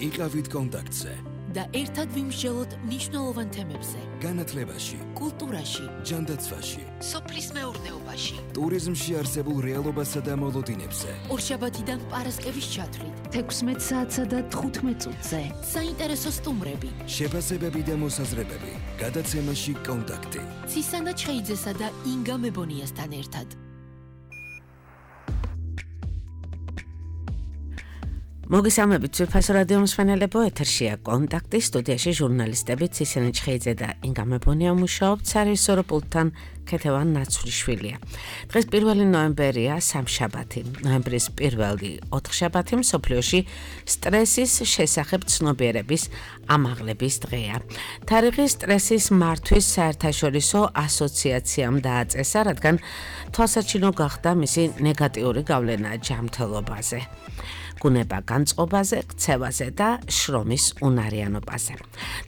იყავით კონტაქტზე და ერთად ვიმსჯელოთ მნიშვნელოვან თემებზე. განათლებაში, კულტურაში, ჯანდაცვაში, სოფლის მეურნეობაში, ტურიზმში არსებულ რეალობასა და მოლოდინებზე. ორშაბათიდან პარასკევის ჩათვლით, 16 საათსა და 15 წუთზე. საინტერესო სტუმრები, შეფასებები და მოსაზრებები. გადაცემაში კონტაქტი. ცისანა ჩხეიძესა და ინგა მებონიასთან ერთად. მოგესალმებით ძვირფასო რადიო მსმენელებო, ეთერშია კონტაქტი, სტუდიაში ჟურნალისტები ცისანა ჩხეიძე და ინგა მებონია მუშაობთ, სარეჟისორო პულტთან ქეთევან ნაცვლიშვილია. დღეს 1 ნოემბერია, სამშაბათი. ნოემბრის 4 შაბათი მსოფლიოში სტრესის შესახებ ცნობიერების ამაღლების დღეა. თარიღი სტრესის მართვის საერთაშორისო ასოციაციამ დააწესა, რადგან თვალსაჩინო გახდა მისი ნეგატიური გავლენა ჯანმრთელობაზე. გუნება განწყობაზე, ქცევაზე და შრომის უნარიანობაზე.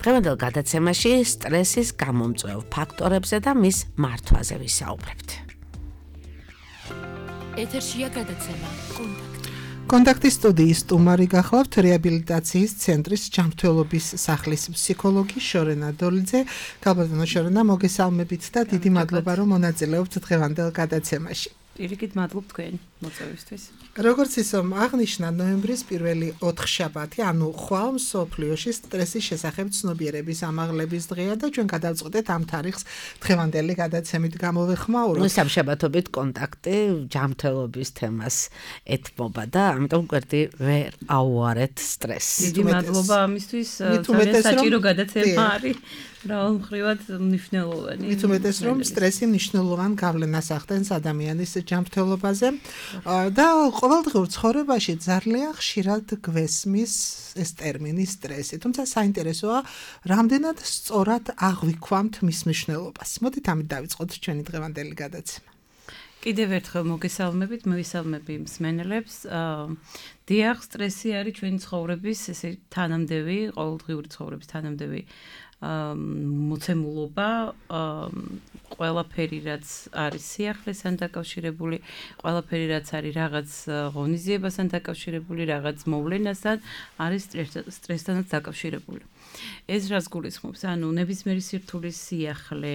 დღევანდელ გადაცემაში სტრესის გამომწვევ ფაქტორებზე და მის მართვაზე ვისაუბრებთ. ეთერშია გადაცემა კონტაქტი. კონტაქტის სტუდიის სტუმარი გახლავთ რეაბილიტაციის ცენტრის ჯანმრთელობის სახლის ფსიქოლოგი შორენა დოლიძე. გაბატონო შორენა, მოგესალმებით და დიდი მადლობა რომ მონაწილეობთ დღევანდელ გადაცემაში. პირიქით მადლობ თქვენ მოწვევისთვის. როგორც ისომ აღნიშნა, ნოემბრის 4 შაბათი, ანუ ხვალ მსოფლიოში სტრესის შესახებ ცნობიერების ამაღლების დღეა და ჩვენ გადავწყვეტეთ ამ თარიღს დღევანდელი გადაცემით გამოვეხმაუროთ. სამშაბათობით კონტაქტი ჯანმრთელობის თემას ეთმობა და ამიტომ გვერდი ვერ აუარეთ სტრესს. დიდი მადლობა ამისთვის, ძალიან საჭირო გადაცემა არის. მრავალმხრივად მნიშვნელოვანი. მით უმეტეს რომ სტრესი მნიშვნელოვან გავლენას ახდენს ადამიანის ჯანმრთელობაზე და ყოველდღიურ ცხოვრებაში ძალიან ხშირად გვესმის ეს ტერმინი სტრესი. თუმცა საინტერესოა, რამდენად სწორად აღვიქვამთ მის მნიშვნელობას. მოდით ამით დავიწყოთ ჩვენი დღევანდელი გადაცემა. კიდევ ერთხელ მოგესალმებით, მივისალმები მსმენელებს. დიახ, სტრესი არის ჩვენი ცხოვრების ესე თანამდები, ყოველდღიური ცხოვრების თანამდები მოცემულობა, ყველაფერი რაც არის სიახლესთან დაკავშირებული, ყველაფერი რაც არის რაღაც ღონისძიებასთან დაკავშირებული, რაღაც მოვლენასთან არის სტრესთანაც დაკავშირებული. ეს რაც გულისხმობს, ანუ ნებისმიერი სირთულის სიახლე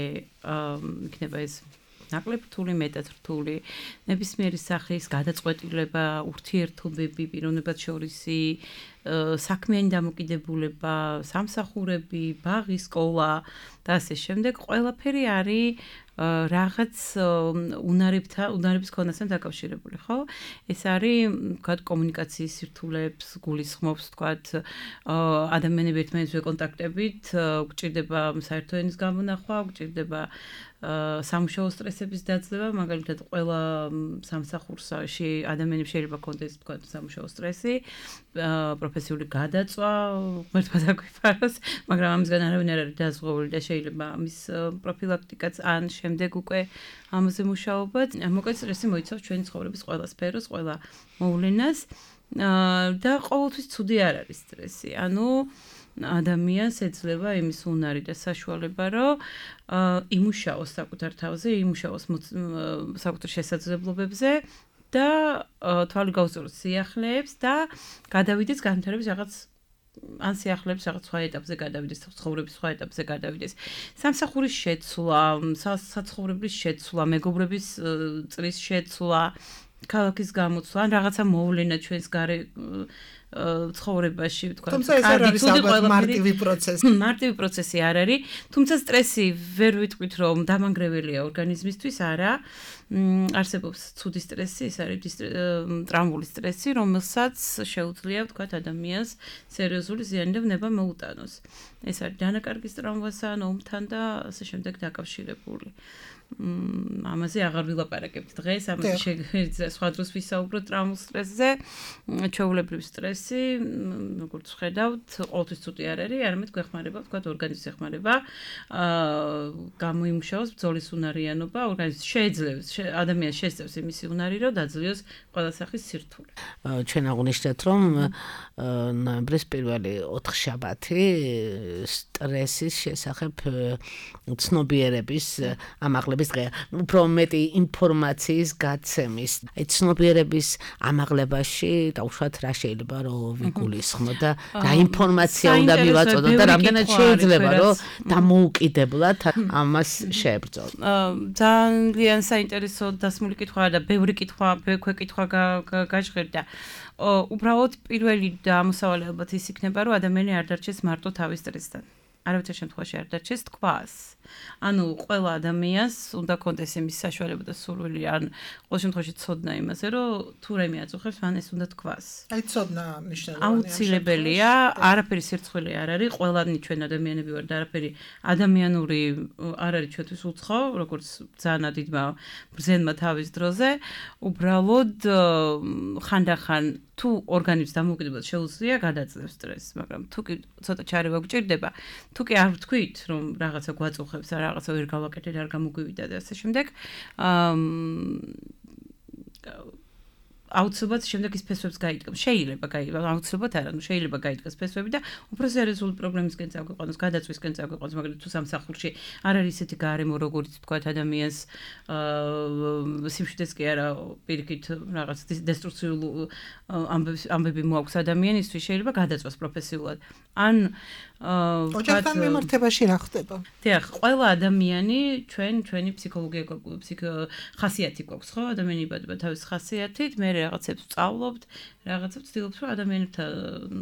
იქნება ეს ნაკლებ რთული, მეტად რთული, ნებისმიერი სახის გადაწყვეტილება, ურთიერთობები, პიროვნებად შორისი, საქმიანი დამოკიდებულება, სამსახურები, ბაღი, სკოლა და ასე შემდეგ, ყველაფერი არის რაღაც უნარების ქონასთან დაკავშირებული, ხო? ეს არის, ვთქვათ, კომუნიკაციის სირთულეებს გულისხმობს, ვთქვათ, ადამიანები ერთმანეთს ვეკონტაქტებით, გვჭირდება საერთო ენის გამონახვა, გვჭირდება სამუშაო სტრესების დაძლევა, მაგალითად, ყველა სამსახურში ადამიანებს შეიძლება ქონდეს, ვთქვათ, სამუშაო სტრესი, პროფესიული გადაწვა, ღმერთმა დაგვიფაროს, მაგრამ ამისგან არავინ არ არის დაზღვეული და შეიძლება ამის პროფილაქტიკაც ან შემდეგ უკვე ამაზე მუშაობაც. მოკლედ სტრესი მოიცავს ჩვენი ცხოვრების ყველა სფეროს, ყველა მოვლენას და ყოველთვის ცუდი არ არის სტრესი. ანუ ადამიანს ეძლევა იმის უნარი და საშუალება, რომ იმუშაოს საკუთარ თავზე, იმუშაოს საკუთარ შესაძლებლობებზე და თვალი გაუსწოროს სიახლეებს და გადავიდეს განვითარების რაღაც ან სიახლეებს რაღაც სხვა ეტაპზე გადავიდეს, ცხოვრების სხვა ეტაპზე გადავიდეს. სამსახურის შეცვლა, საცხოვრებლის შეცვლა, მეგობრების წრის შეცვლა, ქალაქის გამოცვლა, ან რაღაცა მოვლენა ჩვენს გარე ცხოვრებაში, ვთქვათ, თუმცა ეს არ არის ალბათ მარტივი პროცესი. მარტივი პროცესი არ არის, თუმცა სტრესი ვერ ვიტყვით, რომ დამანგრეველია ორგანიზმისთვის, არა. არსებობს ცუდი სტრესი, ეს არის ტრამვული სტრესი, რომელსაც შეუძლია, ვთქვათ, ადამიანს სერიოზული ზიანდება მოუტანოს. ეს არის დანაკარგის ტრამვასთან, ომთან და ასე შემდეგ დაკავშირებული. ამაზე აღარ ვილაპარაკებთ დღეს, ამაზე შეგვიძლია სხვა დროს ვისაუბროთ ტრამულ სტრესზე. ჩვეულებრივი სტრესი, როგორც ვხედავთ, ყოველთვის ცუდი არ არის, არამედ გვეხმარება, ვთქვათ, ორგანიზმს ეხმარება, გამოიმუშაოს ბრძოლის უნარიანობა, ორგანიზმს ადამიანს შესწევს იმისი უნარი, რომ დაძლიოს ყველა სახის სირთულე. ჩვენ აღვნიშნეთ, რომ ნოემბრის პირველი 4 შაბათი სტრესის შესახებ ცნობიერების ამაღლების დღეა. უფრო მეტი ინფორმაციის გაცემის. აი ცნობიერების ამაღლებაში დაუშვათ რა შეიძლება რომ ვიგულისხმოთ და რა ინფორმაცია უნდა მივაწოდოთ და რამდენად შეიძლება რომ დამოუკიდებლად ამას შეებრძოლოთ. ძალიან საინტერესო დასმული კითხვაა და ბევრი ქვეკითხვა გაჟღერდა. უბრალოდ პირველი ამოსავალი ალბათ ის იქნება, რომ ადამიანი არ დარჩეს მარტო თავის სტრესთან. არავითარ შემთხვევაში არ დარჩეს თქვას. ანუ ყველა ადამიანს უნდა კონდეს იმის საშუალება და სურვილი, ან ყოველ შემთხვევაში ცოდნა იმაზე, რომ თუ რაიმე აწუხებს, მან ეს უნდა თქვას. აი ცოდნა მნიშვნელოვანია. აუცილებელია, არაფერი სირცხვილე არ არის, ყველანი ჩვენ ადამიანები ვართ და არაფერი ადამიანური არ არის ჩვენთვის უცხო, როგორც ძალიან დიდმა ბრძენმა თავის დროზე, უბრალოდ ხანდახან თუ ორგანიზმს დამოუკიდებლად შეუძლია გადაძლევს სტრესს, მაგრამ თუ კი ცოტა ჩარევა გჭირდება, თუ კი არ ვთქვით, რომ რაღაცა გვაწუხებს, რაღაცა ვერ გავაკეთეთ, არ გამოგვივიდა და ასე შემდეგ, აუცილებლად შემდეგ ის ფესვებს გაიდგამს. შეიძლება აუცილებლად არა, ნუ შეიძლება გაიდგას ფესვები და უფრო სერიოზული პრობლემისკენ წაგვიყვანოს, გადაწვისკენ წაგვიყვანოს, მაგრამ თუ სამსახურში არ არის ისეთი გარემო, როგორც თქვათ ადამიანს სიმშვიდეს კი არა, პირიქით რაღაც დესტრუქციულ ამბები მოაქვს ადამიანისთვის, შეიძლება გადაწვას პროფესიულად. ან ოჯახთან მიმართებაში რა ხდება? დიახ, ყველა ადამიანი ჩვენი ფსიქოლოგია ხასიათი გვაქვს, ხო? ადამიანი იბადება თავის ხასიათით, მე რაღაცებს ვწავლობთ, რაღაცებს ვცდილობთ, რომ ადამიანებთან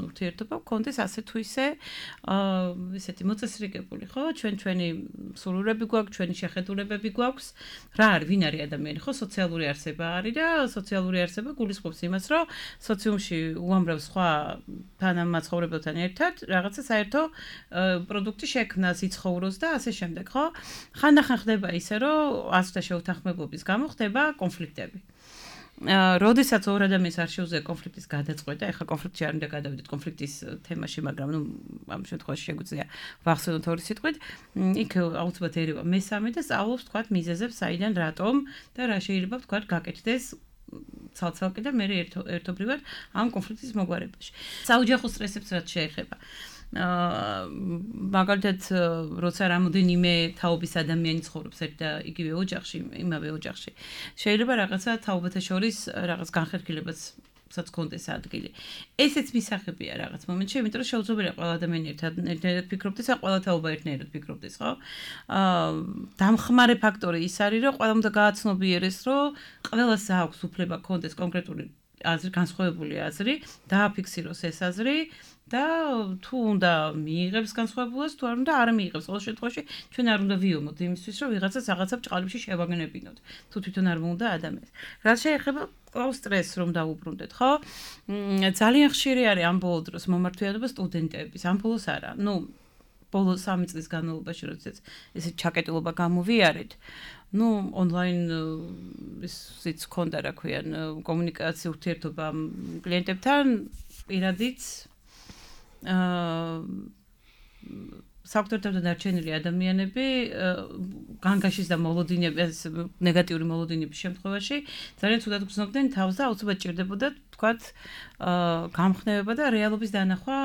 ურთიერთობა გქონდეს ასე თუ ისე ესეთი მოწესრიგებული, ხო? ჩვენი სურვილები გვაქვს, ჩვენი შეხედულებები გვაქვს. რა არის, ვინ არის ადამიანი, ხო? სოციალური არსება არის და სოციალური არსება გულისხმობს იმას, რომ სოციუმში უამრავ სხვა თანამაცხოვრებელთან ერთად რაღაცა საერთო პროდუქტი შექმნას, იცხოვროს და ასე შემდეგ, ხო? ხანდახან ხდება ისე, რომ ასთა შეუთანხმებობის გამო ხდება კონფლიქტები. როდესაც ორ ადამიანს არ შეუძლია კონფლიქტის გადაწყვეტა, ეხლა კონფლიქტში არ უნდა გადავიდეთ კონფლიქტის თემაში, მაგრამ ნუ ამ შემთხვევაში შეგვიძლია ვახსენოთ ორი სიტყვით, იქ აუცილებლად ერევა მესამე და სწავლობს თქვათ მიზეზებს, საიდან რატომ და რა შეიძლება თქვათ გაკეთდეს ცალ-ცალკე და მე ერთობრივად ამ კონფლიქტის მოგვარებაში. საოჯახო სტრესებს რაც შეეხება. მაგალითად, როცა რამოდენიმე თაობის ადამიანი ცხოვრობს ერთ და იგივე ოჯახში, იმავე ოჯახში, შეიძლება რაღაცა თაობათა შორის რაღაც განხერხილებაც გქონდეს ადგილი. ესეც მისაღებია რაღაც მომენტში, იმიტომ რომ შეუძლებელია ყველა ადამიანი ერთად ფიქრობდეს და ყველა თაობა ერთნაირად ფიქრობდეს, ხო? დამხმარე ფაქტორი ის არის, რომ ყველამ უნდა გააცნობიერეს, რომ ყველას აქვს უფლება გქონდეს კონკრეტული აზრი, განსხვავებული აზრი, დააფიქსიროს ეს აზრი და თუ უნდა მიიღებს განსხვავებულას, თუ არ უნდა არ მიიღებს. ყოველ შემთხვევაში ჩვენ არ უნდა ვიომოთ იმისთვის, რომ ვიღაცას რაღაცა ბჭყალებში შევაგნებინოთ, თუ თვითონ არ მოუნდა ადამიანს. რაც შეეხება სტრესს რომ დაუბრუნდეთ, ხო? ძალიან ხშირი არის ამ ბოლო დროს მომართვიანობა სტუდენტების, ამ ბოლოს არა. ნუ ბოლო 3 წლის განმავლობაში, როდესაც ესე ჩაკეტილობა გამოვიარეთ, ნუ ონლაინ ისიც ქონდა, რა ქვიან, კომუნიკაცია, ურთიერთობა კლიენტებთან, პირადიც საკვირველთაგან დარჩენილი ადამიანები განგაშის და მოლოდინების ნეგატიური მოლოდინების შემთხვევაში ძალიან ცუდად გრძნობდნენ თავს და აუცილებლად ჭირდებოდა თქვათ გამხნევება და რეალობის დანახვა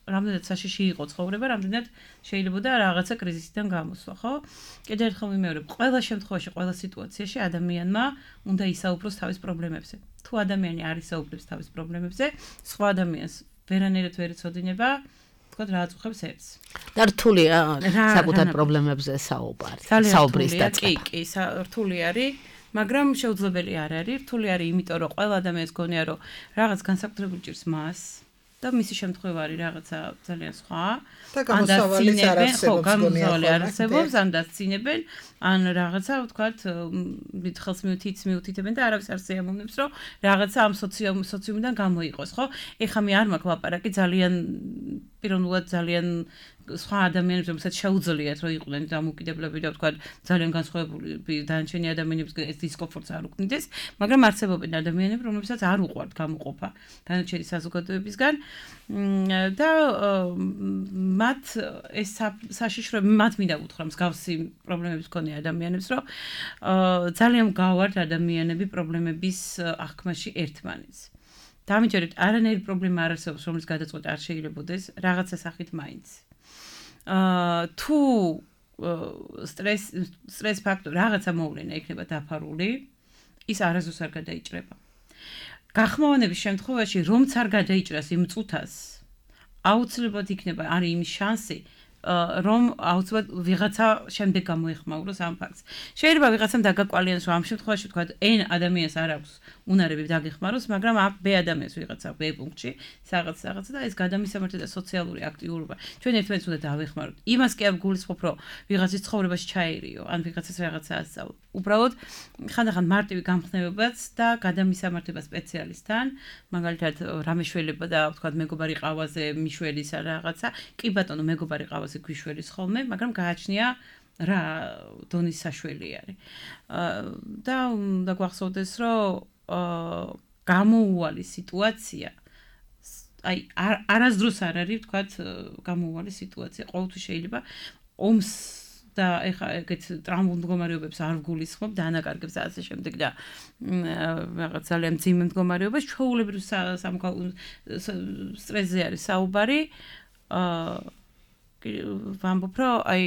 რამდენად საშიში იყო ცხოვრება, რამდენად შეიძლებოდა რაღაცა კრიზისიდან გამოსვლა, ხო? კიდევ ერთხელ ვიმეორებ, ყველა შემთხვევაში, ყველა სიტუაციაში ადამიანმა უნდა ისაუბროს თავის პრობლემებზე. თუ ადამიანი არ ისაუბრებს თავის პრობლემებზე, სხვა ადამიანს ვერანაირად ვერ იცოდინება თქვათ რა აწუხებს ერთს. და რთულია საკუთარ პრობლემებზე საუბრის დაწყება. კი, რთული არის, მაგრამ შეუძლებელი არ არის. რთული არის, იმიტომ რომ ყველა ადამიანს გონია, რომ რაღაც განსაკუთრებული ჭირს მას და მისი შემთხვევა არის რაღაცა ძალიან სხვა. და გამოსავალიც არ არსებობს, ან დასცინებენ, ან რაღაცა ვთქვათ, ხელს მიუთითებენ და არავის არ შეამოვნებს, რომ რაღაცა ამ სოციუმიდან გამოიყოს, ხო? ეხლა მე არ მაქვს ლაპარაკი ძალიან პიროვნულად ძალიან სხვა ადამიანებს, რომელსაც შეუძლიათ რომ იყვნენ დამოუკიდებლები და თქვა ძალიან განსხვავებული დანარჩენი ადამიანებს ეს დისკომფორტს არ უკნიდეს, მაგრამ არსებობენ ადამიანები, რომლებსაც არ უყვართ გამოყოფა დანარჩენი საზოგადოებისგან და მათ ეს საშიშროები მათ მინდა უთხრა მსგავსი პრობლემების მქონე ადამიანებს, რომ ძალიან გავართ ადამიანები პრობლემების აღქმაში ერთმანეთს. დამიჯერეთ, არანაირი პრობლემა არ არსებობს, რომლის გადაწყვეტა არ შეიძლებაოდეს რაღაცა სახით მაინც. თუ სტრეს ფაქტორი რაღაცა მოვლენა იქნება დაფარული, ის არასდროს არ გადაიჭრება. გახმოვანების შემთხვევაში, რომც არ გადაიჭრას იმ წუთას, აუცილებლად იქნება არის იმის შანსი, რომ აუცილებლად ვიღაცა შემდეგ გამოეხმაუროს ამ ფაქტს. შეიძლება ვიღაცამ დაგაკვალიანოს, რომ ამ შემთხვევაში თქვა N ადამიანს არ აქვს უნარები დაგეხმაროს, მაგრამ აქ B ადამიანს ვიღაცა B პუნქტში, რაღაცა და ეს გადამისამართი და სოციალური აქტიურობა. ჩვენ ერთმანეთს უნდა დავეხმაროთ. იმას კი არ გულისხმობ, რომ ვიღაცის ცხოვრებაში ჩაერიო, ან ვიღაცას რაღაცა ასწავლო. უბრალოდ ხანდახან მარტივი გამხნევებაც და გადამისამართება სპეციალისტთან, მაგალითად რამეშველება და თქვა მეგობარი ყავაზე მიშველისა რაღაცა, კი ბატონო მეგობარი ყავაზე გვიშველის ხოლმე, მაგრამ გააჩნია რა დონის საშველი არის. და უნდა გვახსოვდეს, რომ გამოუვალი სიტუაცია აი არასდროს არ არის თქვათ გამოუვალი სიტუაცია. ყოველთვის შეიძლება ომს და ეხა ეგეთ ტრამვულ მდგომარეობებს არ ვგულისხმობ და ანაკარგებს და ასე შემდეგ და რაღაც ძალიან მძიმე მდგომარეობას ჩვეულებრივ სტრესზე არის საუბარი. ვამბობ, რომ აი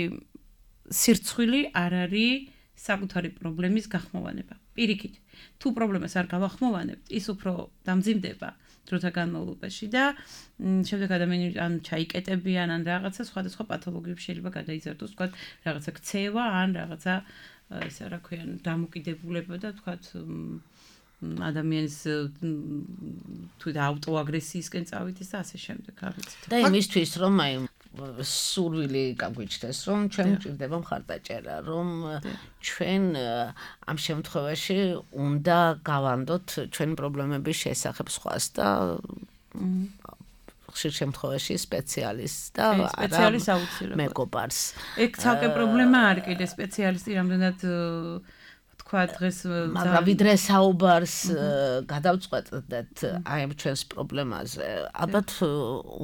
სირცხვილი არ არის საკუთარი პრობლემის გახმოვანება. პირიქით, თუ პრობლემას არ გავახმოვანებთ, ის უფრო დამძიმდება დროთა განმავლობაში და შემდეგ ადამიანები ან ჩაიკეტებიან, ან რაღაცა სხვადასხვა პათოლოგიები შეიძლება გადაიზარდოს, თქვათ, რაღაცა ქცევა, ან რაღაცა ესე რა ქვიან, დამოკიდებულება და თქვათ ადამიანის თუ აუტოაგრესიისკენ წავიდეს და ასე შემდეგ, არ ვიცით. და იმისთვის რომ აი სურვილი გაგვიჩნდეს, რომ ჩვენ გვჭირდება მხარდაჭერა, რომ ჩვენ ამ შემთხვევაში უნდა გავანდოთ ჩვენი პრობლემების შესახებ სხვას და ხშირ შემთხვევაში სპეციალისტს და სპეციალისტს აუცილებლად მეგობარს. ეგ ცალკე პრობლემა არის კიდე სპეციალისტი რამდენად თქვა დღეს მაგრამ ვიდრე საუბარს გადავწყვეტდეთ აი ამ ჩვენს პრობლემაზე, ალბათ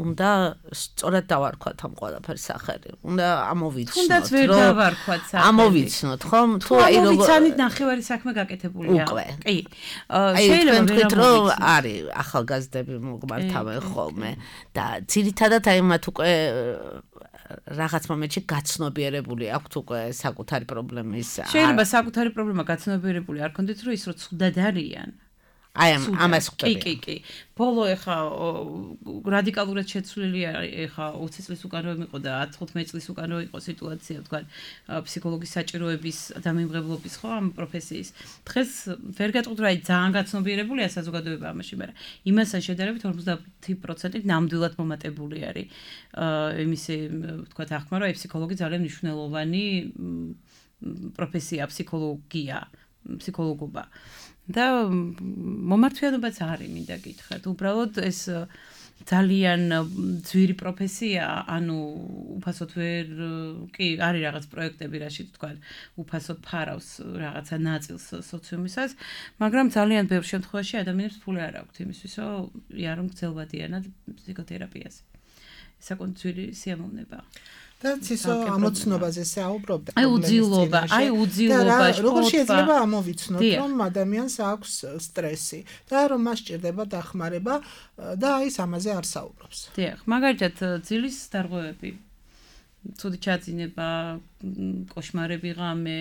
უნდა სწორად დავარქვათ ამ ყველაფერს სახელი. უნდა ამოვიცნოთ, თუნდაც ვერ დავარქვათ სახელი. ამოვიცნოთ, ხომ? თუ აი ვიცანით ნახევარი საქმე გაკეთებულია. კი. შეიძლება თქვით, რომ არის ახალგაზრდები მოგმართავენ ხოლმე და ძირითადად აი მათ უკვე რაღაც მომენტში გაცნობიერებული აქვთ უკვე საკუთარი პრობლემის. შეიძლება საკუთარი პრობლემა გაცნობიერებული არ ქონდეთ, რომ ის რო ცუდად არიან. აი ამას ხვდები. კი. ბოლო ეხა რადიკალურად შეცვლილი ეხა 20 წლის უკან რო იყო და 15 წლის უკან რო იყო სიტუაცია, თქვა ფსიქოლოგის საჭიროების დამიმღებლობის ხო ამ პროფესიის. დღეს ვერ გეტყვით, რომ აი ძალიან გაცნობიერებულია საზოგადოება ამაში, მაგრამ იმასთან შედარებით 50% ნამდვილად მომატებული არის იმისი თქვა ახმა, რომ აი ფსიქოლოგი ძალიან მნიშვნელოვანი პროფესია, ფსიქოლოგობა. და მომართვიანობაც არის, მინდა გითხრათ. უბრალოდ ეს ძალიან ძვირი პროფესია, ანუ უფასოდ ვერ კი არის რაღაც პროექტები, რაშიც თქვა უფასოდ ფარავს რაღაცა ნაწილს სოციუმისას, მაგრამ ძალიან ბევრ შემთხვევაში ადამიანებს ფული არ აქვთ იმისთვის, რომ იარონ გრძელვადიანად ფსიქოთერაპიაზე. საკონც ძვირი სიამოვნება. და ცისო ამოცნობაზე საუბრობდა. აი უძილობა, როგორ შეიძლება ამოვიცნოთ, რომ ადამიანს აქვს სტრესი და რომ მას სჭირდება დახმარება და აი ამაზე არ საუბრობს. დიახ, მაგალითად ძილის დარღვევები, ცუდი ჩაძინება, კოშმარები ღამე,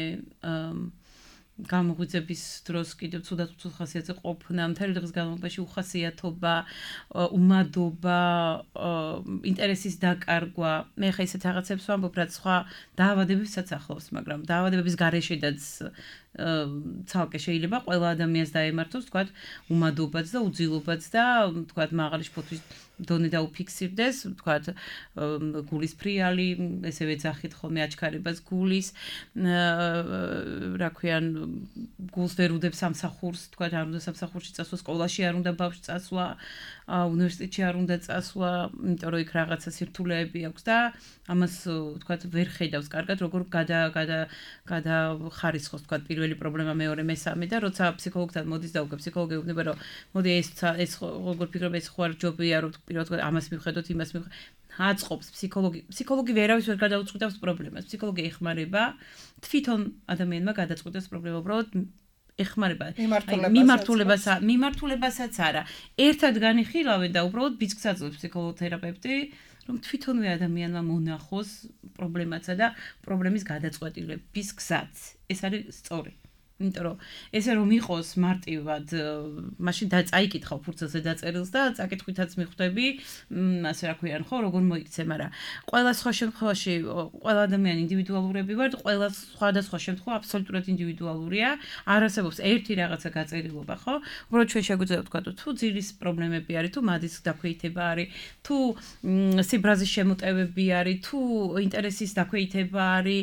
გამოღვიძების დროს კიდევ ცუდად ხასიათზე ყოფნა, მთელი დღის განმავლობაში უხასიათობა, უმადობა, ინტერესის დაკარგვა. მე ხა ისეთ რაღაცებს ვამბობ, რაც სხვა დაავადებებსაც ახლავს, მაგრამ დაავადებების გარეშედაც ცალკე შეიძლება ყველა ადამიანს დაემართოს, თქვა, უმადობაც და უძილობაც და თქვა, მაღალი შფოთვის დონე დაუფიქსირდეს, თქვა, გულის ფრიალი, ესევე ძახით ხოლმე აჩქარებას გულის, რა ქვიან, გულს ვერ უდებს სამსახურს, თქვა, არ უნდა სამსახურში წასვლა, სკოლაში არ უნდა ბავშვი წასვლა, უნივერსიტეტში არ უნდა წასვლა, იმიტომ რომ იქ რაღაცა სირთულეები აქვს და ამას თქვათ ვერ ხედავს კარგად, როგორ გადახარისხოს თქვათ პირველი პრობლემა, მეორე, მესამე და როცა ფსიქოლოგთან მოდის და უკვე ფსიქოლოგი უნება რომ მოდი ეს როგორ ფიქრობ ეს ხო არ ჯობია რომ პირველად ამას მივხედოთ, იმას მივხედოთ აწყობს ფსიქოლოგი ვერავის ვერ გადაუწყვეტავს პრობლემას. ფსიქოლოგი ეხმარება თვითონ ადამიანმა გადაწყვეტოს პრობლემა, უბრალოდ ეხმარება მიმართულებასაც არა. ერთად განიხილავენ და უბრალოდ ბიძგს აძლევს ფსიქოლოთერაპევტი, რომ თვითონვე ადამიანმა მონახოს პრობლემაცა და პრობლემის გადაწყვეტილების გზაც. ეს არის სწორი. იმიტომ რომ ესე რომ იყოს მარტივად, მაშინ წაიკითხავ ფურცელზე დაწერილს და წაკითხვითაც მიხვდები, ასე რა ქვიან, ხო, როგორ მოიქცე, მაგრამ ყველა სხვა შემთხვევაში ყველა ადამიანი ინდივიდუალურები ვართ, ყველა სხვადასხვა შემთხვევა აბსოლუტურად ინდივიდუალურია, არ არსებობს ერთი რაღაცა გაწერილობა, ხო? უბრალოდ ჩვენ შეგვიძლია ვთქვათ, თუ ძილის პრობლემები არის, თუ მადის დაქვეითება არის, თუ სიბრაზის შემოტევები არის, თუ ინტერესის დაქვეითება არის,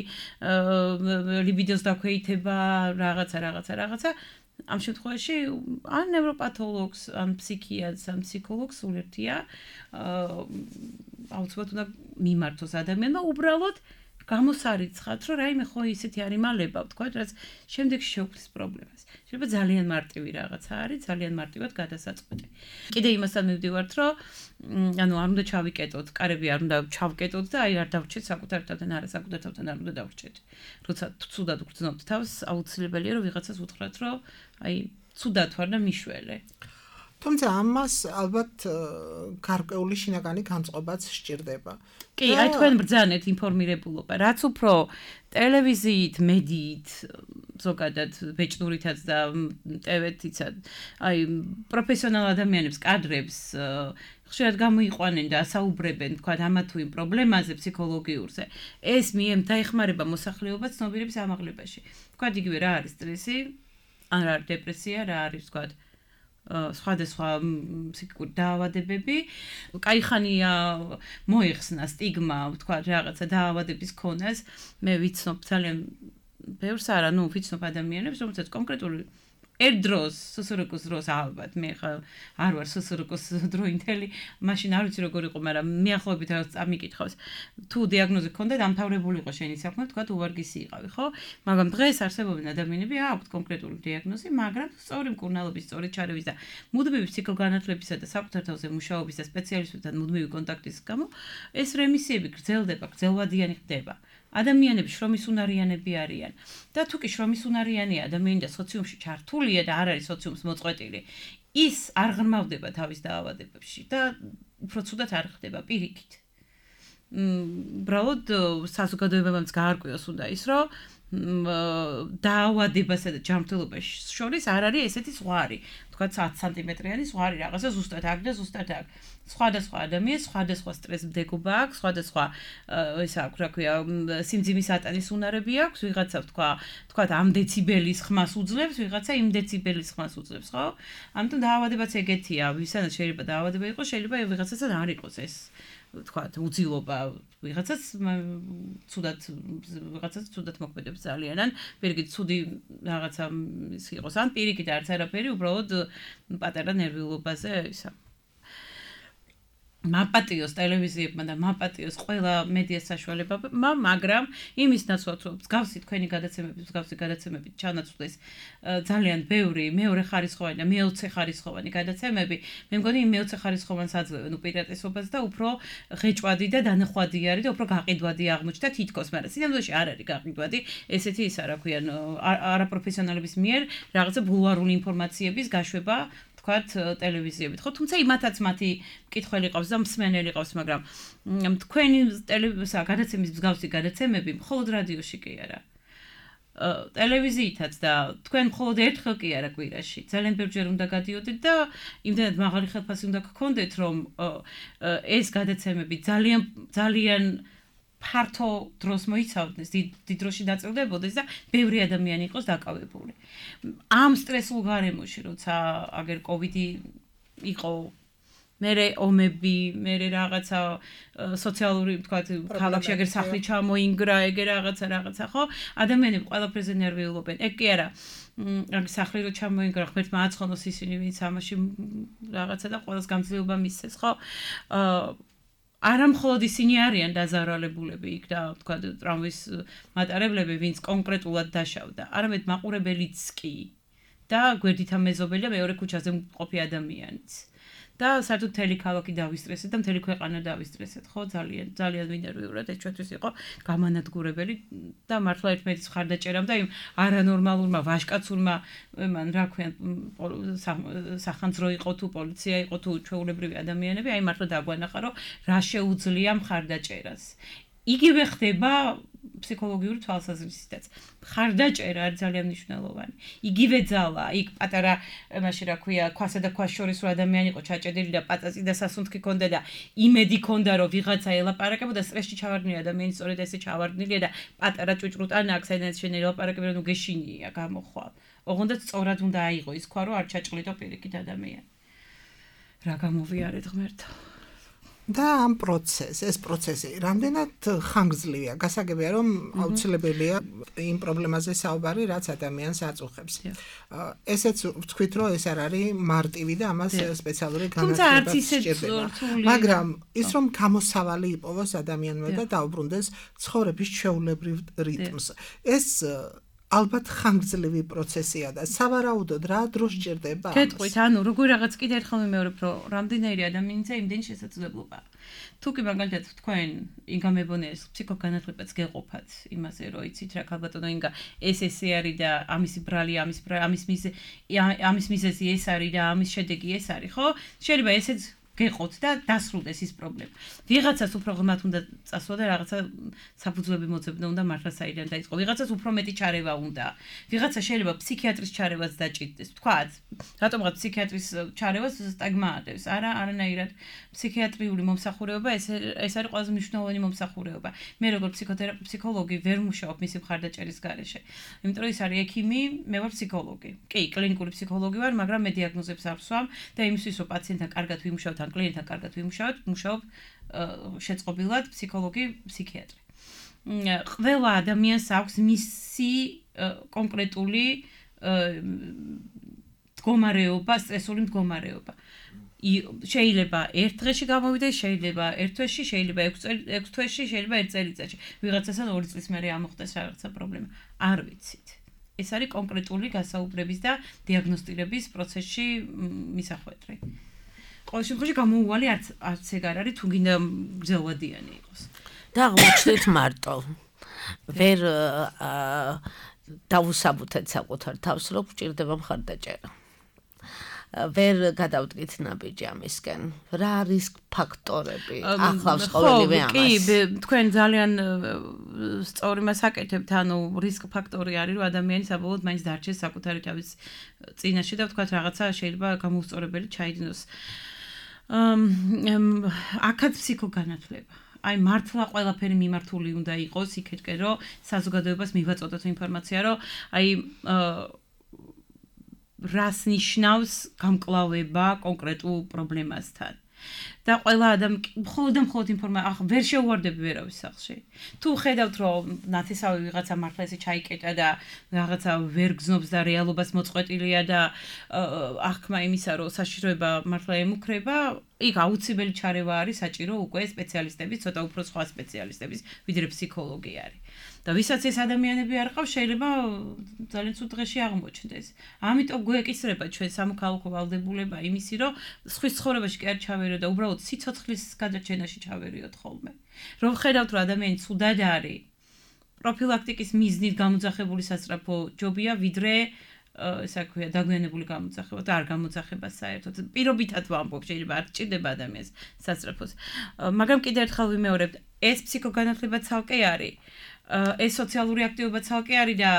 ლიბიდოს დაქვეითება, რაღაცა ამ შემთხვევაში ან ნევროპათოლოგს, ან ფსიქიატრს, ან ფსიქოლოგს სულ ერთია აუცილებლად უნდა მიმართოს ადამიანმა უბრალოდ გამოსარიცხად, რომ რაიმე ხო ისეთი არ იმალება, ვთქვათ, რაც შემდეგში შეუქმნის პრობლემას. შეიძლება ძალიან მარტივი რაღაცა არის, ძალიან მარტივად გადასაწყვეტი. კიდე იმასთან მივდივართ, რომ ანუ არ უნდა ჩავიკეტოთ, კარები არ უნდა ჩავკეტოთ და აი არ დავრჩეთ საკუთარ თავთან, არა საკუთარ თავთან არ უნდა დავრჩეთ. როცა ცუდად ვგრძნობთ თავს, აუცილებელია რომ ვიღაცას უთხრათ, რომ აი ცუდად ვარ და მიშველე. თუმცა ამას ალბათ გარკვეული შინაგანი განწყობაც სჭირდება. კი, აი თქვენ ბრძანეთ ინფორმირებულობა, რაც უფრო ტელევიზიით, მედიით, ზოგადად ბეჭდურითაც და ტევეთიცად, აი პროფესიონალ ადამიანებს, კადრებს ხშირად გამოიყვანენ და ასაუბრებენ, თქვა ამა თუ იმ პრობლემაზე ფსიქოლოგიურზე. ეს დაეხმარება მოსახლეობას ცნობიერების ამაღლებაში. თქვა იგივე რა არის სტრესი, ან რა არის დეპრესია, რა არის თქვა სხვადასხვა ფსიქიკური დაავადებები, კაიხანია მოიხსნა სტიგმა, ვთქვა რაღაცა დაავადების ქონას, მე ვიცნობ ძალიან ბევრს არა, ვიცნობ ადამიანებს, რომელსაც კონკრეტული ერთ დროს, სსრკ-ს დროს ალბათ, მე ხა არ ვარ სსრკ-ს დროინდელი, მაშინ არ ვიცი როგორ იყო, მაგრამ მიახლოებით რაღაც წამიკითხავს, თუ დიაგნოზი ქონდა, დამთავრებული იყო შენი საქმე, თქვა უვარგისი იყავი, ხო? მაგრამ დღეს არსებობენ ადამიანები, აქვთ კონკრეტული დიაგნოზი, მაგრამ სწორი მკურნალობის, სწორი ჩარევის და მუდმივი ფსიქოგანათლებისა და საკუთარ თავზე მუშაობის და სპეციალისტებთან მუდმივი კონტაქტის გამო ეს რემისიები გრძელდება, გრძელვადიანი ხდება. ადამიანები შრომისუნარიანები არიან და თუ კი შრომისუნარიანია ადამიანი და სოციუმში ჩართულია და არ არის სოციუმს მოწყვეტილი, ის არ ღრმავდება თავის დაავადებებში და უფრო ცუდად არ ხდება პირიქით. უბრალოდ საზოგადოებამაც გაარკვიოს უნდა ის, რომ დაავადებასა და ჯანმრთელობას შორის არ არის ესეთი ზღვარი. თქვა 10 სანტიმეტრიანი ზღვარი რაღაცა ზუსტად აქ და ზუსტად აქ. სხვადასხვა ადამიანს სხვადასხვა სტრესმდებობა აქვს, სხვადასხვა ეს აქვს, რა ქვია, სიმძიმის ატანის უნარები აქვს, ვიღაცა თქვა ამ დეციბელის ხმას უძლებს, ვიღაცა იმ დეციბელის ხმას უძლებს, ხო? ამიტომ დაავადებაც ეგეთია, ვისაც შეიძლება დაავადება იყოს, შეიძლება ვიღაცასაც არ იყოს ეს, თქვა, უძილობა, ვიღაცას ცუდად მოქმედებს ძალიან, ან პირიქით ცუდი რაღაცა ის იყოს, ან პირიქით არც არაფერი, უბრალოდ პატარა ნერვიულობაზე ისა მაპატიოს ტელევიზიებმა და მაპატიოს ყველა მედია საშუალებებმა, მაგრამ იმის ნაცვლად, რომ მსგავსი თქვენი გადაცემებით ჩანაცვლეს ძალიან ბევრი მეორე ხარისხოვანი და მეოცე ხარისხოვანი გადაცემები, მე მგონი იმ მეოცე ხარისხოვანს აძლევენ უპირატესობას და უფრო ღეჭვადი და დანახვადი არის და უფრო გაყიდვადი აღმოჩნდა თითქოს, მაგრამ სინამდვილეში არ არის გაყიდვადი, ესეთი ისა რა ქვიან, არაპროფესიონალების მიერ რაღაცა ბულვარული ინფორმაციების გაშვება თქვათ ტელევიზიებით, ხო, თუმცა იმათაც მათი მკითხველი ყავს და მსმენელი ყავს, მაგრამ თქვენი გადაცემის მსგავსი გადაცემები მხოლოდ რადიოში კი არა. ტელევიზიითაც და თქვენ მხოლოდ ერთხელ კი არა კვირაში, ძალიან ბევრჯერ უნდა გადიოდეთ და იმდენად მაღალი ხელფასი უნდა გქონდეთ, რომ ეს გადაცემები ძალიან ფართო დროს მოიცავდეს, დიდ დროში დაწილდებოდეს და ბევრი ადამიანი იყოს დაკავებული. ამ სტრესულ გარემოში, როცა აგერ კოვიდი იყო მერე ომები, მერე რაღაცა სოციალური, თქვათ, ქალაქში ეგერ სახლი ჩამოინგრა, ეგერ რაღაცა, ხო? ადამიანები ყველაფერზე ნერვიულობენ. ეგ კი არა. აქ სახლი რო ჩამოინგრა, ღმერთმა აცხონოს ისინი, ვინც ამაში რაღაცა და ყველას გამძლეობა მისცეს, ხო? არა მხოლოდ ისინი არიან დაზარალებულები იქ და თქვა ტრამვის მატარებლები, ვინც კონკრეტულად დაშავდა, არამედ მაყურებელიც კი და გვერდით ამეზობელი და მეორე ქუჩაზე მყოფი ადამიანიც. და საერთოდ მთელი ქალაქი დავისტრესეთ და მთელი ქვეყანა დავისტრესეთ, ხო? ძალიან მინერვიულად ეს ჩვენთვის იყო გამანადგურებელი და მართლა ერთმანეთის მხარდაჭერამ და იმ არანორმალურმა ვაჟკაცურმა, მან რა ქვია, სახანძრო იყო თუ პოლიცია იყო თუ ჩვეულებრივი ადამიანები, აი მართლა დაგვანახა, რომ რა შეუძლია მხარდაჭერას. იგივე ხდება ფსიქოლოგიური თვალსაზრისითაც. მხარდაჭერა არის ძალიან მნიშვნელოვანი. იგივე ძალა, იქ პატარა, მაშინ რა ქვია, ქვასა და ქვას შორის რო ადამიანი იყო ჩაჭედილი და პატაწი და სასუნთქი ქონდა და იმედი ქონდა, რომ ვიღაცა ელაპარაკებოდა, სტრესში ჩავარდნილი ადამიანი სწორედ ესე ჩავარდნილია და პატარა ჭუჭრუტანა აქ საიდან შენ ელაპარაკები, რომ გეშინია, გამოხვალ. ოღონდ სწორად უნდა აიღო ის ქვა, რომ არ ჩაჭყლიდო პირიქით ადამიანი. რა გამოვიარეთ ღმერთო. და ამ ეს პროცესი რამდენად ხანგრძლივია, გასაგებია რომ აუცილებელია იმ პრობლემაზე საუბარი, რაც ადამიანს აწუხებს. ესეც ვთქვით, რომ ეს არ არის მარტივი და ამას სპეციალური განათლება სჭირდება. მაგრამ ის რომ გამოსავალი იპოვოს ადამიანმა და დაუბრუნდეს ცხოვრების ჩვეულებრივ რიტმს. ეს ალბათ ხანგრძლივი პროცესია და სავარაუდოდ რა დრო სჭირდება. გეტყვით, ანუ როგორ რაღაც კიდე ერთხელ ვიმეორებ, რომ რამდენიერი ადამიანისა იმდენი შესაძლებლობაა. თუ კი მაგალითად თქვენ ინგა მებონეს ფსიქოგანათლებაც გეყოფათ იმაზე, რომ იცით რა ქალბატონო ინგა ეს არის და ამისი ბრალი, ამის მიზეზი ეს არის და ამის შედეგი ეს არის, ხო? შეიძლება ესეც გეყოთ და დასრულდეს ის პრობლემა. ვიღაცას უფრო ღრმად უნდა წასვლა და რაღაცა საფუძვლები მოძებნა უნდა მართლა საიდან დაიწყო. ვიღაცას უფრო მეტი ჩარევა უნდა. ვიღაცა შეიძლება ფსიქიატრის ჩარევას დაჭირდეს. ვთქვათ, რატომღაც ფსიქიატრის ჩარევას სტაგმატებს. არანაირად ფსიქიატრიული მომსახურება ეს არის ყველაზე მნიშვნელოვანი მომსახურება. მე როგორც ფსიქოლოგი ვერ მუშაობ მისი მხარდაჭერის გარეშე. იმიტომ რომ ის არის ექიმი, მე ვარ ფსიქოლოგი. კი, კლინიკური ფსიქოლოგი ვარ, მაგრამ მე დიაგნოზებს არ ვსვამ და იმისთვის რომ პაციენტთან კარგად ვიმუშაოთ ან კლიენტთან კარგად ვიმუშაოთ, მუშაობ შეწყობილად ფსიქოლოგი, ფსიქიატრი. ყველა ადამიანს აქვს მისი კონკრეტული მდგომარეობა, სტრესული მდგომარეობა. შეიძლება ერთ დღეში გამოვიდეს, შეიძლება ერთ თვეში, შეიძლება 6 თვეში, შეიძლება 1 წელიწადში. ვიღაცასთან 2 წლის მერე ამოხდეს რაღაცა პრობლემა. არ ვიცით. ეს არის კონკრეტული გასაუბრების და დიაგნოსტირების პროცესში მისახვედრი. ყოველ შემთხვევაში გამოუვალი არც ეგ არ არის, თუ გინდა გრძელვადიანი იყოს. და აღმოჩნდეთ მარტო. ვერ დავუსაბუთეთ საკუთარ თავს, რომ გვჭირდება მხარდაჭერა. ვერ გადავდგით ნაბიჯი ამისკენ. რა არის ფაქტორები? ახლავს ყოველივე ამას. კი, თქვენ ძალიან სწორი მას აკეთებთ, ანუ რისკ ფაქტორი არის, რომ ადამიანი საბოლოოდ მაინც დარჩეს საკუთარი თავის წინაშე და ვთქვათ რაღაცა შეიძლება გამოუსწორებელი ჩაიდინოს. აქაც ფსიქოგანათლება. აი მართლა ყველაფერი მიმართული უნდა იყოს იქეთკენ, რომ საზოგადოებას მივაწოდოთ ინფორმაცია, რომ აი რას ნიშნავს გამკლავება კონკრეტულ პრობლემასთან. და ყველა მხოლოდ ინფორმაცია ვერ შეუვარდები ვერავის სახლში. თუ ხედავთ რომ ნათესავი ვიღაცა მართლა ესე ჩაიკეტა და რაღაცა ვერ გზნობს და რეალობას მოწყვეტილია და აღქმა იმისა რომ საშიშროება მართლა ემუქრება, იქ აუცილებელი ჩარევა არის საჭირო უკვე სპეციალისტების, ცოტა უფრო სხვა სპეციალისტების, ვიდრე ფსიქოლოგი არის. და ვისაც ეს ადამიანები არ ყავს, შეიძლება ძალიან ცუდ დღეში აღმოჩნდეს. ამიტომ გვეკისრება ჩვენ სამოქალაქო ვალდებულება იმისი, რომ სხვის ცხოვრებაში კი არ ჩავერიოთ და უბრალოდ სიცოცხლის გადაჭენაში ჩავერიოთ ხოლმე. რომ ხედავთ, რომ ადამიანი ცუდად არის, პროფილაქტიკის მიზნით გამოძახებული სასწრაფო ჯობია, ვიდრე ესე ქვია დაგვიანებული გამოძახება და არ გამოძახება საერთოდ. პირობითად ვამბობ, შეიძლება არ ჭირდება ადამიანს სასწრაფოს. მაგრამ კიდევ ერთხელ ვიმეორებ, ეს ფსიქოგანათლება ცალკე არის. ეს სოციალური აქტივობა ცალკე არის და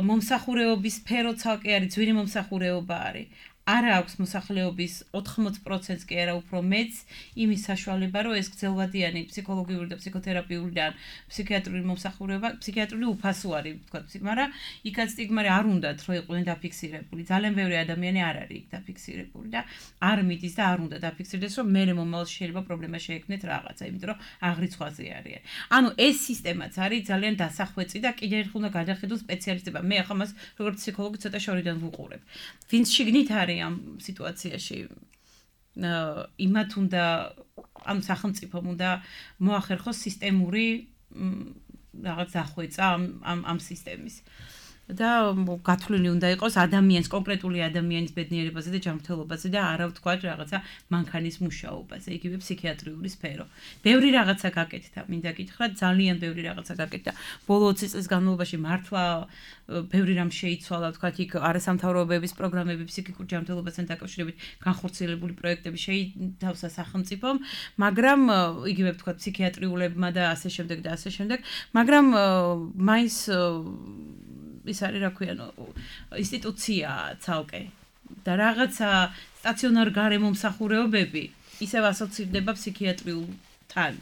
მომსახურეობის სფერო ცალკე არის, ძვირი მომსახურეობა არის. არა აქვს მოსახლეობის 80%-ს კი არა უფრო მეც იმის საშუალება, რომ ეს გრძელვადიანი ფსიქოლოგიური და ფსიქოთერაპიული და ფსიქიატრიული მომსახურება, ფსიქიატრიული უფასო არის, ვთქვათ, მაგრამ იქაც სტიგმა არ უნდათ, რომ იყვნენ დაფიქსირებული. ძალიან ბევრი ადამიანი არ არის იქ დაფიქსირებული და არ მიდის და არ უნდა დაფიქსირდეს, რომ მერე მომავალში შეიძლება პრობლემა შეექმნეთ რაღაცა, იმიტომ რომ აღრიცხვაზე არიან. ანუ ეს სისტემაც არის ძალიან დასახვეწი და კიდევ ერთხელ უნდა გადახედოს სპეციალისტება. მე ახლა მას როგორც ფსიქოლოგი ცოტა შორიდან ვუყურებ. ვინც შიგნით არის ამ სიტუაციაში იმათ უნდა ამ სახელმწიფომ უნდა მოახერხოს სისტემური რაღაც დახვეწა ამ სისტემის და გათვლილი უნდა იყოს ადამიანის კონკრეტული ადამიანის ბედნიერებაზე და ჯანმრთელობაზე და არა ვთქვათ რაღაცა მანქანის მუშაობაზე, იგივე ფსიქიატრიული სფერო. ბევრი რაღაცა გაკეთდა, მინდა გითხრათ, ძალიან ბევრი რაღაცა გაკეთდა. ბოლო 20 წლის განმავლობაში მართლა ბევრი რამ შეიცვალა, ვთქვათ, იქ არასამთავრობოების პროგრამები ფსიქიკურ ჯანმრთელობასთან დაკავშირებით განხორციელებული პროექტები შეითავსა სახელმწიფომ, მაგრამ იგივე ვთქვათ ფსიქიატრიულებმა და ასე შემდეგ, მაგრამ მაინც ის არის რა ქვია, ინსტიტუცია ცალკე და რაღაცა სტაციონარ გარემომსახურეობები ისევ ასოცირდება ფსიქიატრიულთან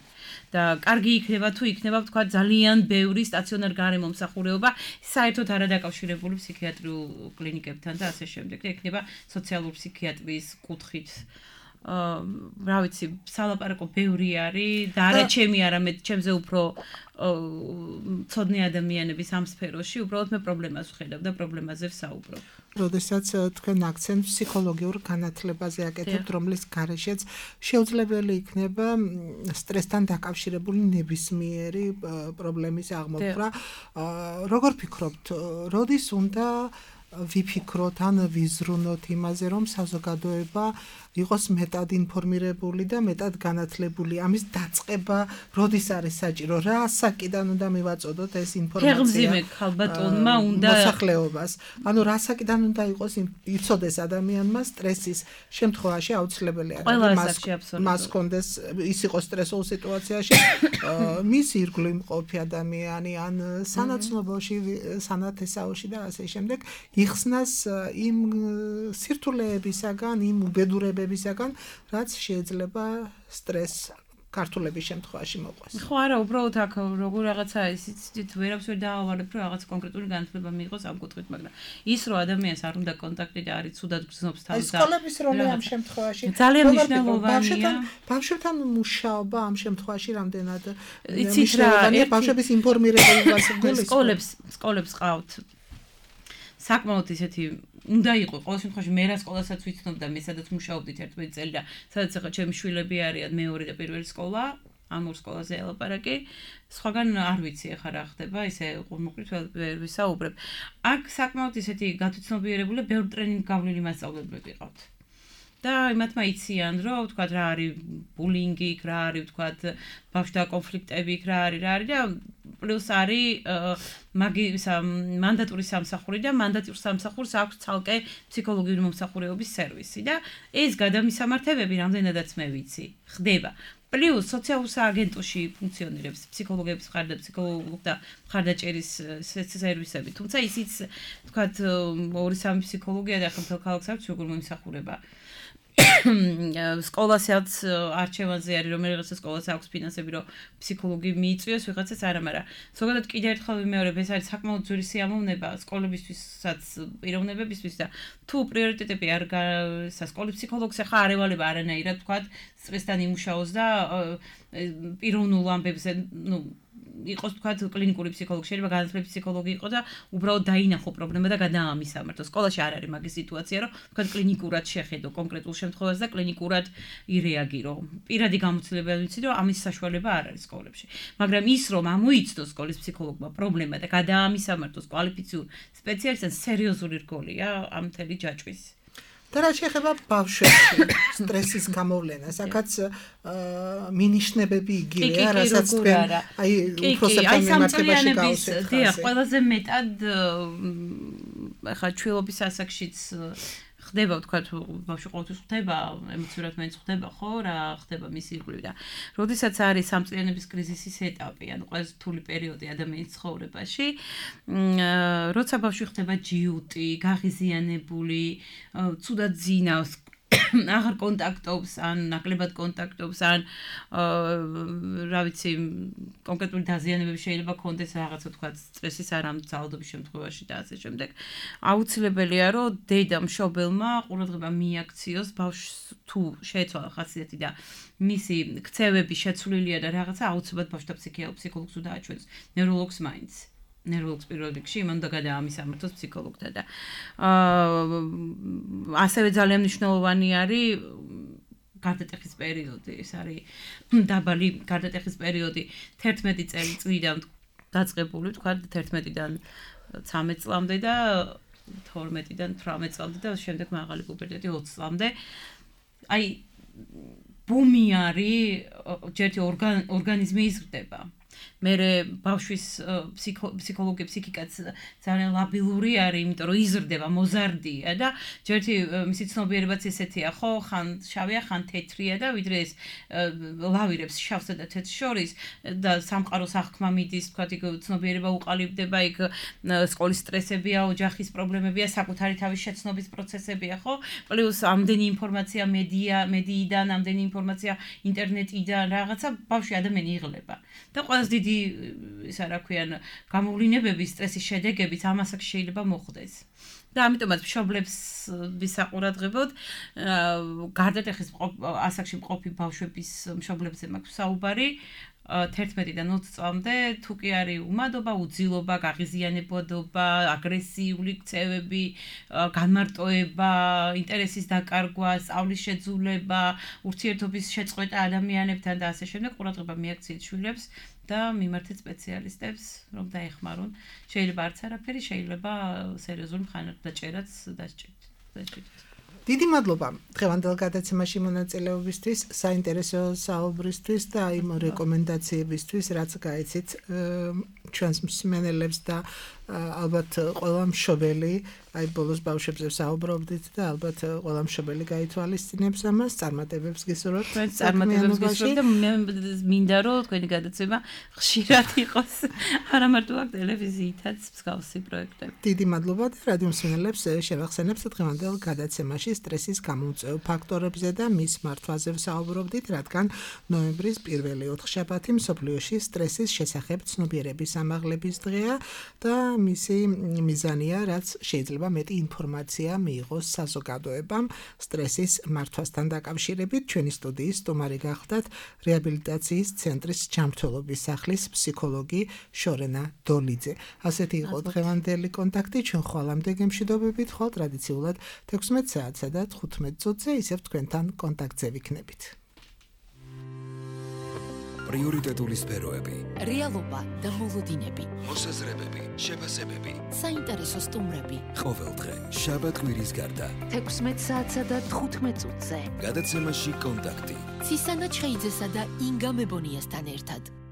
და კარგი იქნება თუ იქნება ვთქვათ ძალიან ბევრი სტაციონარ გარემომსახურეობა საერთოდ არადაკავშირებული ფსიქიატრიულ კლინიკებთან და ასე შემდეგ და იქნება სოციალური ფსიქიატრიის კუთხით რა ვიცი, სალაპარაკო ბევრი არის და არა ჩემი, არამედ ჩემზე უფრო ცოდნე ადამიანების ამ სფეროში, უბრალოდ მე პრობლემას ვხედავ და პრობლემაზე ვსაუბრობ. როდესაც თქვენ აქცენტს ფსიქოლოგიურ განათლებაზე აკეთებთ, რომლის გარეშეც შეუძლებელი იქნება სტრესთან დაკავშირებული ნებისმიერი პრობლემის აღმოფხვრა. როგორ ფიქრობთ, როდის უნდა ვიფიქროთ ან ვიზრუნოთ იმაზე, რომ საზოგადოება იყოს მეტად ინფორმირებული და მეტად განათლებული. ამის დაწყება როდის არის საჭირო? რა ასაკიდან უნდა მივაწოდოთ ეს ინფორმაცია? ფეხმძიმე ქალბატონმა უნდა მოსახლეობას. ანუ რა ასაკიდან უნდა იყოს იცოდეს ადამიანმა სტრესის შემთხვევაში აუცილებელი არის. მას კონდეს ის იყოს სტრესულ სიტუაციაში, მის ირგვლივ იმყოფი ადამიანი ან სანაცნობოში, სანათესაოში და ასე შემდეგ იხსნას იმ სირთულეებისაგან, იმ უბედურებებისაგან, რაც შეიძლება სტრესს ქართულების შემთხვევაში მოყვეს. ხო არა, უბრალოდ აქ როგორ რაღაცა ისიც ვერაფერს ვერ დაავარებ, რომ რაღაც კონკრეტული განათლება მიიღოს ამ კუთხით, მაგრამ ის რომ ადამიანს არ უნდა კონტაქტი და არის ცუდად გრძნობს თავს და სკოლების როლი ამ შემთხვევაში ძალიან მნიშვნელოვანია. ბავშვებთან მუშაობა ამ შემთხვევაში რამდენად მნიშვნელოვანია ბავშვების ინფორმირებელობას სკოლებს ყავთ საკმაოდ ისეთი უნდა იყო ყოველ შემთხვევაში მე რა სკოლასაც ვიცნობ და მე სადაც მუშაობდით 11 წელი და სადაც ახლა ჩემი შვილები არიან მეორე და პირველი სკოლა ამ ორ სკოლაზე ელაპარაკი სხვაგან არ ვიცი ახლა რა ხდება ისე ყურმუყრით ვერ ვისაუბრებ აქ საკმაოდ ისეთი გათვითცნობიერებული ბევრ ტრენინგ გავლილი მასწავლებლები ყავთ და იმათმა იციან რომ ვთქვათ რა არის ბულინგი რა არის ვთქვათ ბავშვთა კონფლიქტები რა არის და პლუს არის მანდატური სამსახური და მანდატურ სამსახურს აქვს ცალკე ფსიქოლოგიური მომსახურეობის სერვისი და ეს გადამისამართებები რამდენადაც მე ვიცი ხდება პლუს სოციალურ სააგენტოში ფუნქციონირებს ფსიქოლოგების მხარდაჭერის მხარდაჭერის სერვისები თუმცა ისიც ვთქვათ 2-3 ფსიქოლოგია და ახლა მთელ ქალაქს აქვს როგორ მომსახურება სკოლასაც არჩევანზე არის რომ რაღაცა სკოლას აქვს ფინანსები რომ ფსიქოლოგი მიიწვიოს ვიღაცას არა მაგრამ ზოგადად კიდევ ერთხელ ვიმეორებ ეს არის საკმაოდ ძვირი სიამოვნება სკოლებისთვისაც პიროვნებებისთვის და თუ პრიორიტეტები არ სკოლის ფსიქოლოგს ახლა არ ევალება არანაირად თქვათ სტრესთან იმუშაოს და პიროვნულ ამბებზე იყოს თქვათ კლინიკური ფსიქოლოგი შეიძლება განათლების ფსიქოლოგი იყო და უბრალოდ დაინახო პრობლემა და გადაამისამართო. სკოლაში არ არის მაგის სიტუაცია, რომ თქვათ კლინიკურად შეხედო კონკრეტულ შემთხვევას და კლინიკურად ირეაგირო. პირადი გამოცდილება ვიცი, რომ ამის საშუალება არ არის სკოლებში. მაგრამ ის რომ ამოიცნოს სკოლის ფსიქოლოგმა პრობლემა და გადაამისამართოს კვალიფიციურ სპეციალისტთან სერიოზული რგოლია ამ მთელი ჯაჭვის. და რა შეეხება ბავშვებში სტრესის გამოვლენას, აქაც მინიშნებები იგივეა, რასაც თქვენ აი უფროსებთან მიმართებაში გავუსვით. დიახ, ყველაზე მეტად ახლა ჩვილობის ასაკშიც ხდება ვთქვათ ბავშვი ყოველთვის ხდება ემოციურად მეც ხდება ხო რა ხდება მისი ირგვლივ და როდესაც არის სამწლიანების კრიზისის ეტაპი ანუ ყველაზე რთული პერიოდი ადამიანის ცხოვრებაში როცა ბავშვი ხდება ჯიუტი გაღიზიანებული ცუდად ძინავს აღარ კონტაქტობს ან ნაკლებად კონტაქტობს ან რა ვიცი კონკრეტული დაზიანებები შეიძლება კონდეს რაღაცა თქვა სტრესის არამგზავრდობის შემთხვევაში და ასე შემდეგ აუცილებელია რომ დედა მშობელმა ყურადღება მიაქციოს ბავშვს თუ შეეცვალა ხასიათი და მისი ქცევები შეცვლილია და რაღაცა აუცილებლად ბავშვთა ფსიქოლოგს დააჩვენოს ნევროლოგს მაინც ნევროლოგს პირველ რიგში იმან და გადაამისამართოს ფსიქოლოგთან და ასევე ძალიან მნიშვნელოვანი არის გარდატეხის პერიოდი ეს არის დაბალი გარდატეხის პერიოდი 11 წლიდან დაწყებული თქვა 11-დან 13 წლამდე და 12-დან 18 წლამდე და შემდეგ მაღალი პუბერტეტი 20 წლამდე აი ბუმი არის ჯერთი ორგანიზმი იზრდება მე ბავშვის ფსიქოლოგია ფსიქიკაც ძალიან ლაბილური არის, იმიტომ რომ იზრდება, მოზარდია და ჯერთი მისი ცნობიერებაც ესეთია, ხო, ხან შავია, ხან თეთრია და ვიდრე ეს ლავირებს შავსა და თეთრს შორის და სამყაროს აღქმა მიდის, თქვა იქ ცნობიერება უყალიბდება, იქ სკოლის სტრესებია, ოჯახის პრობლემებია, საკუთარი თავის შეცნობის პროცესებია, ხო? პლუს ამდენი ინფორმაცია მედიიდან, ამდენი ინფორმაცია ინტერნეტიდან, რაღაცა ბავშვი ადამიანი იღლება. და ყველაზე დიდი ისა რა ქვიან გამოვლინებების სტრესის შედეგებით ამასაც შეიძლება მოხდეს. და ამიტომაც მშობლებს ვისაყურადღებოდ გარდატეხის ასაკში მყოფი ბავშვების მშობლებზე მაქვს საუბარი 11-დან 20 წლამდე თუ კი არის უმადობა, უძილობა, გაღიზიანებადობა, აგრესიული ქცევები, განმარტოება, ინტერესის დაკარგვა, სწავლის შეძულება, ურთიერთობის შეწყვეტა ადამიანებთან და ასე შემდეგ ყურადღება მიაქციეთ შვილებს და მიმართეთ სპეციალისტებს, რომ დაეხმარონ. შეიძლება არც არაფერი, შეიძლება სერიოზული მხარდაჭერაც დასჭირდეთ. დიდი მადლობა დღევანდელ გადაცემაში მონაწილეობისთვის, საინტერესო საუბრისთვის და იმ რეკომენდაციებისთვის, რაც გაიცით ჩვენს მსმენელებს და ალბათ ყველა მშობელი, აი ბოლოს ბავშვებზე საუბრობდით და ალბათ ყველა მშობელი გაითვალისწინებს ამას, წარმატებებს გისურვებთ. წარმატებებს გისურვებთ და მე მინდა რომ თქვენი გადაცემა ხშირად იყოს, არა მარტო აქ ტელევიზიითაც მსგავსი პროექტები. დიდი მადლობა და რადიო მსმენელებს შევახსენებთ დღევანდელ გადაცემაში სტრესის გამომწვევ ფაქტორებზე და მის მართვაზე ვსაუბრობდით, რადგან ნოემბრის პირველი 4 შაბათი მსოფლიოში სტრესის შესახებ ცნობიერების ამაღლების დღეა და მისი მიზანია, რაც შეიძლება მეტი ინფორმაცია მიიღოს საზოგადოებამ სტრესის მართვასთან დაკავშირებით. ჩვენი სტუდიის სტუმარი გახლდათ რეაბილიტაციის ცენტრის ჯანმრთელობის სახლის ფსიქოლოგი შორენა დოლიძე. ასეთი იყო დღევანდელი კონტაქტი. ჩვენ ხვალამდე გემშვიდობებით, ხოლ ტრადიციულად 16 საათსა და 15 წუთზე ისევ თქვენთან კონტაქტზე ვიქნებით. პრიორიტეტული სფეროები, რეალობა და მოლოდინები, მოსაზრებები, შეფასებები, საინტერესო სტუმრები. ყოველდღე, შაბათ-კვირის გარდა, 16 საათსა და 15 წუთზე. გადაცემაში კონტაქტი. ცისანა ჩხეიძესა და ინგა მებონიასთან ერთად.